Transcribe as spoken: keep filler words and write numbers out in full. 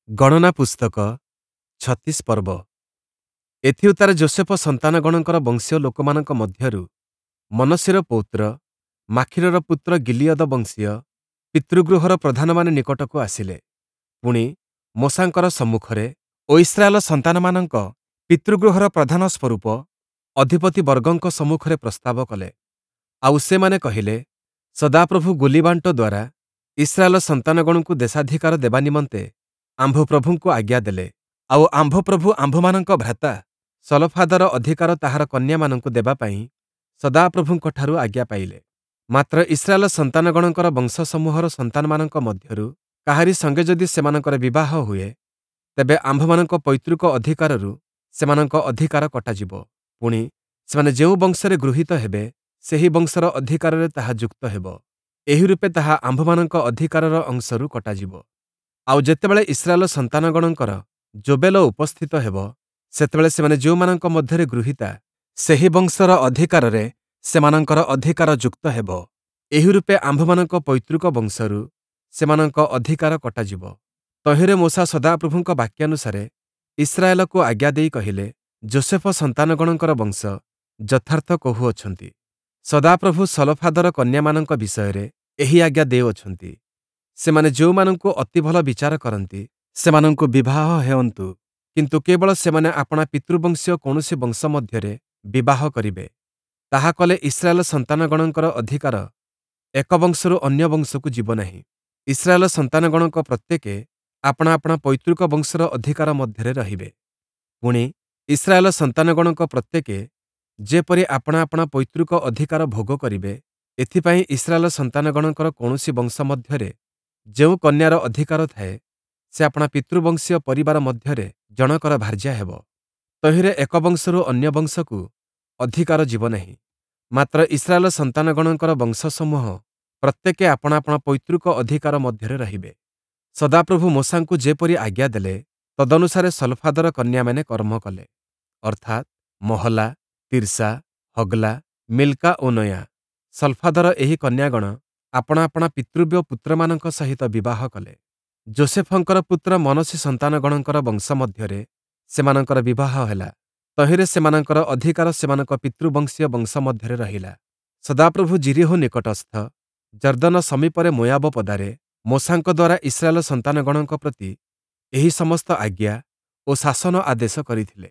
ଗଣନା ପୁସ୍ତକ ଛତିଶ ପର୍ବ। ଏଥିଉତ୍ତାରେ ଯୋଷେଫ ସନ୍ତାନଗଣଙ୍କର ବଂଶୀୟ ଲୋକମାନଙ୍କ ମଧ୍ୟରୁ ମନଶ୍ଶେର ପୌତ୍ର ମାଖୀରର ପୁତ୍ର ଗିଲିୟଦ ବଂଶୀୟ ପିତୃଗୃହର ପ୍ରଧାନମାନେ ନିକଟକୁ ଆସିଲେ। ପୁଣି, ମୋଶାଙ୍କର ସମ୍ମୁଖରେ ଓ ଇସ୍ରାଏଲ ସନ୍ତାନମାନଙ୍କ ପିତୃଗୃହର ପ୍ରଧାନ ସ୍ୱରୂପ ଅଧିପତିବର୍ଗଙ୍କ ସମ୍ମୁଖରେ ପ୍ରସ୍ତାବ କଲେ। ଆଉ ସେମାନେ କହିଲେ, ସଦାପ୍ରଭୁ ଗୁଲିବାଣ୍ଟ ଦ୍ୱାରା ଇସ୍ରାଏଲ ସନ୍ତାନଗଣଙ୍କୁ ଦେଶାଧିକାର ଦେବା ନିମନ୍ତେ ଆମ୍ଭ ପ୍ରଭୁଙ୍କୁ ଆଜ୍ଞା ଦେଲେ। ଆଉ ଆମ୍ଭ ପ୍ରଭୁ ଆମ୍ଭମାନଙ୍କ ଭ୍ରାତା ସଲଫାଦର ଅଧିକାର ତାହାର କନ୍ୟାମାନଙ୍କୁ ଦେବା ପାଇଁ ସଦାପ୍ରଭୁଙ୍କଠାରୁ ଆଜ୍ଞା ପାଇଲେ। ମାତ୍ର ଇସ୍ରାଏଲ ସନ୍ତାନଗଣଙ୍କର ବଂଶସମୂହର ସନ୍ତାନମାନଙ୍କ ମଧ୍ୟରୁ କାହାରି ସଙ୍ଗେ ଯଦି ସେମାନଙ୍କର ବିବାହ ହୁଏ, ତେବେ ଆମ୍ଭମାନଙ୍କ ପୈତୃକ ଅଧିକାରରୁ ସେମାନଙ୍କ ଅଧିକାର କଟାଯିବ। ପୁଣି, ସେମାନେ ଯେଉଁ ବଂଶରେ ଗୃହୀତ ହେବେ, ସେହି ବଂଶର ଅଧିକାରରେ ତାହା ଯୁକ୍ତ ହେବ। ଏହିରୂପେ ତାହା ଆମ୍ଭମାନଙ୍କ ଅଧିକାରର ଅଂଶରୁ କଟାଯିବ। ଆଉ ଯେତେବେଳେ ଇସ୍ରାଏଲ ସନ୍ତାନଗଣଙ୍କର ଯୋବେଲ ଉପସ୍ଥିତ ହେବ, ସେତେବେଳେ ସେମାନେ ଯେଉଁମାନଙ୍କ ମଧ୍ୟରେ ଗୃହୀତା, ସେହି ବଂଶର ଅଧିକାରରେ ସେମାନଙ୍କର ଅଧିକାର ଯୁକ୍ତ ହେବ। ଏହିରୂପେ ଆମ୍ଭମାନଙ୍କ ପୈତୃକ ବଂଶରୁ ସେମାନଙ୍କ ଅଧିକାର କଟାଯିବ। ତହିଁରେ ମୋଶା ସଦାପ୍ରଭୁଙ୍କ ବାକ୍ୟାନୁସାରେ ଇସ୍ରାଏଲକୁ ଆଜ୍ଞା ଦେଇ କହିଲେ, ଯୋଷେଫ ସନ୍ତାନଗଣଙ୍କର ବଂଶ ଯଥାର୍ଥ କହୁଅଛନ୍ତି। ସଦାପ୍ରଭୁ ସଲଫାଦର କନ୍ୟାମାନଙ୍କ ବିଷୟରେ ଏହି ଆଜ୍ଞା ଦେଉଅଛନ୍ତି। ସେମାନେ ଯେଉଁମାନଙ୍କୁ ଅତି ଭଲ ବିଚାର କରନ୍ତି, ସେମାନଙ୍କୁ ବିବାହ ହେଉନ୍ତୁ, କିନ୍ତୁ କେବଳ ସେମାନେ ଆପଣା ପିତୃବଂଶୀୟ କୌଣସି ବଂଶ ମଧ୍ୟରେ ବିବାହ କରିବେ। ତାହା କଲେ ଇସ୍ରାଏଲ ସନ୍ତାନଗଣଙ୍କର ଅଧିକାର ଏକ ବଂଶରୁ ଅନ୍ୟ ବଂଶକୁ ଯିବ ନାହିଁ। ଇସ୍ରାଏଲ ସନ୍ତାନଗଣଙ୍କ ପ୍ରତ୍ୟେକେ ଆପଣା ଆପଣା ପୈତୃକ ବଂଶର ଅଧିକାର ମଧ୍ୟରେ ରହିବେ। ପୁଣି, ଇସ୍ରାଏଲ ସନ୍ତାନଗଣଙ୍କ ପ୍ରତ୍ୟେକେ ଯେପରି ଆପଣା ଆପଣା ପୈତୃକ ଅଧିକାର ଭୋଗ କରିବେ, ଏଥିପାଇଁ ଇସ୍ରାଏଲ ସନ୍ତାନଗଣଙ୍କର କୌଣସି ବଂଶ ମଧ୍ୟରେ ଯେଉଁ କନ୍ୟାର ଅଧିକାର ଥାଏ, ସେ ଆପଣା ପିତୃବଂଶୀୟ ପରିବାର ମଧ୍ୟରେ ଜଣକର ଭାର୍ଯ୍ୟା ହେବ। ତହିଁରେ ଏକ ବଂଶରୁ ଅନ୍ୟ ବଂଶକୁ ଅଧିକାର ଯିବ ନାହିଁ। ମାତ୍ର ଇସ୍ରାଏଲ ସନ୍ତାନଗଣଙ୍କର ବଂଶସମୂହ ପ୍ରତ୍ୟେକେ ଆପଣା ଆପଣା ପୈତୃକ ଅଧିକାର ମଧ୍ୟରେ ରହିବେ। ସଦାପ୍ରଭୁ ମୋଶାଙ୍କୁ ଯେପରି ଆଜ୍ଞା ଦେଲେ, ତଦନୁସାରେ ସଲଫାଦର କନ୍ୟାମାନେ କର୍ମ କଲେ, ଅର୍ଥାତ୍ ମହଲା, ତିର୍ସା, ହଗ୍ଲା, ମିଲ୍କା ଓ ନୋୟା। ସଲଫାଦର ଏହି କନ୍ୟାଗଣ ଆପଣା ଆପଣା ପିତୃବ୍ୟ ପୁତ୍ରମାନଙ୍କ ସହିତ ବିବାହ କଲେ। ଯୋଷେଫଙ୍କର ପୁତ୍ର ମନଶ୍ଶେ ସନ୍ତାନଗଣଙ୍କର ବଂଶ ମଧ୍ୟରେ ସେମାନଙ୍କର ବିବାହ ହେଲା। ତହିଁରେ ସେମାନଙ୍କର ଅଧିକାର ସେମାନଙ୍କ ପିତୃବଂଶୀୟ ବଂଶ ମଧ୍ୟରେ ରହିଲା। ସଦାପ୍ରଭୁ ଯିରୀହୋ ନିକଟସ୍ଥ ଯର୍ଦ୍ଦନ ସମୀପରେ ମୋୟାବ ପଦାରେ ମୋଶାଙ୍କ ଦ୍ୱାରା ଇସ୍ରାଏଲ ସନ୍ତାନଗଣଙ୍କ ପ୍ରତି ଏହି ସମସ୍ତ ଆଜ୍ଞା ଓ ଶାସନ ଆଦେଶ କରିଥିଲେ।